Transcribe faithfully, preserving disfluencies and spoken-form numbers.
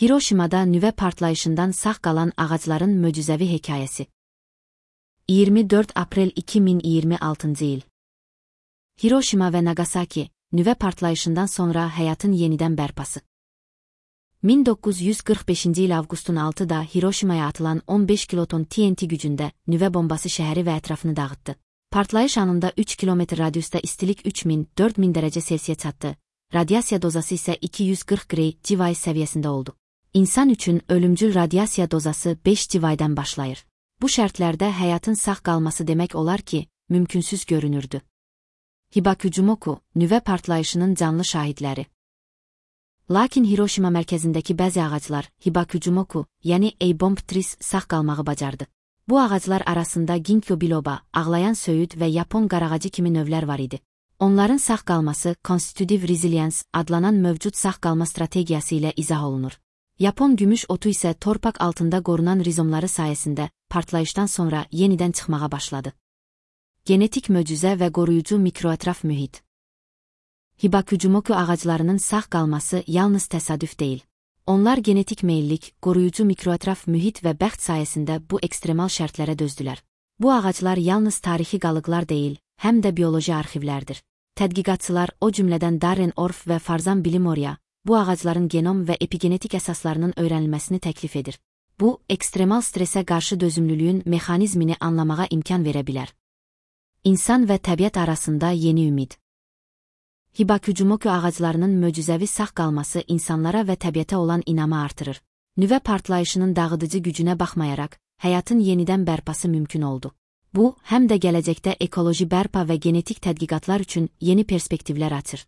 Hiroşimada nüvə partlayışından sağ qalan ağacların möcüzəvi hekayəsi. iyirmi dörd aprel iki min iyirmi altıncı il. Hiroşima və Nagasaki, nüvə partlayışından sonra həyatın yenidən bərpası. min doqquz yüz qırx beşinci il avqustun altıda Hiroşimaya atılan on beş kiloton T N T gücündə nüvə bombası şəhəri və ətrafını dağıtdı. Partlayış anında üç kilometr radiusda istilik üç min dörd min dərəcə Selsiyə çatdı. Radiasiya dozası isə iki yüz qırx qrey civay səviyyəsində oldu. İnsan üçün ölümcül radiasiya dozası beş civaydan başlayır. Bu şərtlərdə həyatın sağ qalması demək olar ki, mümkünsüz görünürdü. Hibakujumoku, nüvə partlayışının canlı şahidləri. Lakin Hiroşima mərkəzindəki bəzi ağaclar, Hibakujumoku, yəni A-bomb trees sağ qalmağı bacardı. Bu ağaclar arasında Ginkgo biloba, ağlayan söyüd və Yapon qarağacı kimi növlər var idi. Onların sağ qalması Constitutive Resilience adlanan mövcud sağ qalma strategiyası ilə izah olunur. Yapon gümüş otu isə torpaq altında qorunan rizomları sayəsində partlayışdan sonra yenidən çıxmağa başladı. Genetik möcüzə və qoruyucu mikroətraf mühit. Hibakujumoku ağaclarının sağ qalması yalnız təsadüf deyil. Onlar genetik meyillik, qoruyucu mikroətraf mühit və bəxt sayəsində bu ekstremal şərtlərə dözdülər. Bu ağaclar yalnız tarixi qalıqlar deyil, həm də bioloji arxivlərdir. Tədqiqatçılar, o cümlədən Darren Orff və Farzan Bilimorya, bu ağacların genom və epigenetik əsaslarının öyrənilməsini təklif edir. Bu, ekstremal stresə qarşı dözümlülüyün mexanizmini anlamağa imkan verə bilər. İnsan və təbiət arasında yeni ümid. Hibakujumoku ağaclarının möcüzəvi sağ qalması insanlara və təbiətə olan inamı artırır. Nüvə partlayışının dağıdıcı gücünə baxmayaraq, həyatın yenidən bərpası mümkün oldu. Bu, həm də gələcəkdə ekoloji bərpa və genetik tədqiqatlar üçün yeni perspektivlər açır.